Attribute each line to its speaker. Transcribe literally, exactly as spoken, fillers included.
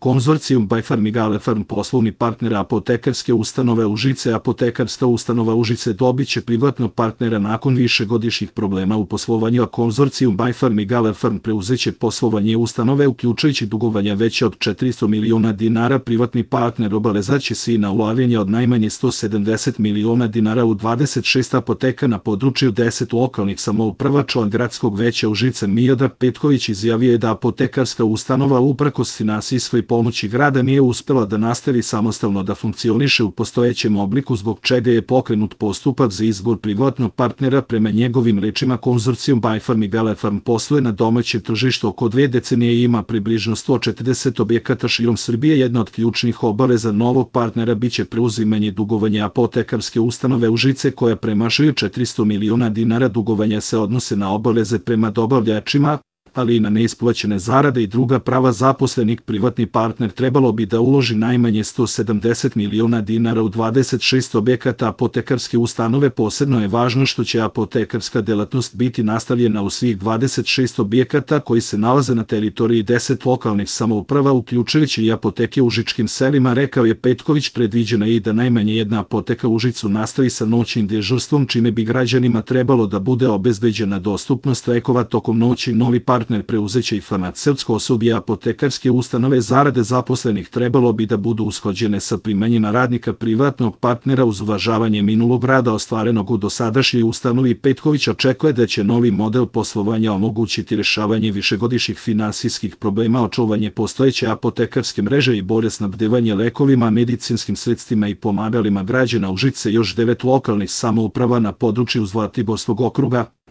Speaker 1: Konzorcijum Bajfarm i Galefarm poslovni partner apotekarske ustanove Užice. Apotekarska ustanova Užice dobit će privatnog partnera nakon višegodišnjih problema u poslovanju, a konzorcijum Bajfarm i Galefarm preuzeće poslovanje ustanove uključujući dugovanja veće od četiristo miliona dinara. Privatni partner obavezaće se i na ulaganje od najmanje sto sedamdeset miliona dinara u dvadeset šest apoteka na području deset lokalnih samouprava. Član gradskog veća Užice Miodrag Petković izjavio je da apotekarska ustanova uprkos finansijskoj pomoći grada nije uspela da nastavi samostalno da funkcioniše u postojećem obliku, zbog čega je pokrenut postupak za izbor privatnog partnera. Prema njegovim rečima, konzorcijum Bajfarm i Galefarm posluje na domaćem tržištu oko dve decenije i ima približno sto četrdeset objekata širom Srbije. Jedna od ključnih obaveza novog partnera biće preuzimanje dugovanja apotekarske ustanove Užice koja premašuju četiristo miliona dinara. Dugovanja se odnose na obaveze prema dobavljačima, ali i na neisplaćene zarade i druga prava zaposlenih. Privatni partner trebalo bi da uloži najmanje sto sedamdeset miliona dinara u dvadeset šest objekata apotekarske ustanove. Posebno je važno što će apotekarska delatnost biti nastavljena u svih dvadeset šest objekata koji se nalaze na teritoriji deset lokalnih samouprava, uključujući i apoteke u užičkim selima, rekao je Petković. Predviđena je i da najmanje jedna apoteka u Užicu nastavi sa noćnim dežurstvom, čime bi građanima trebalo da bude obezbeđena dostupnost lekova tokom noći. Novi partner partner preuzeće i farmaceutsko osoblje apotekarske ustanove. Zarade zaposlenih trebalo bi da budu usklađene sa primanjima radnika privatnog partnera uz uvažavanje minulog rada ostvarenog u dosadašnjoj ustanovi. Petković očekuje da će novi model poslovanja omogućiti rešavanje višegodišnjih finansijskih problema, očuvanje postojeće apotekarske mreže i bolje snabdevanje lekovima, medicinskim sredstvima i pomagalima građana. Užice još devet lokalnih samouprava na području Zlatiborskog okruga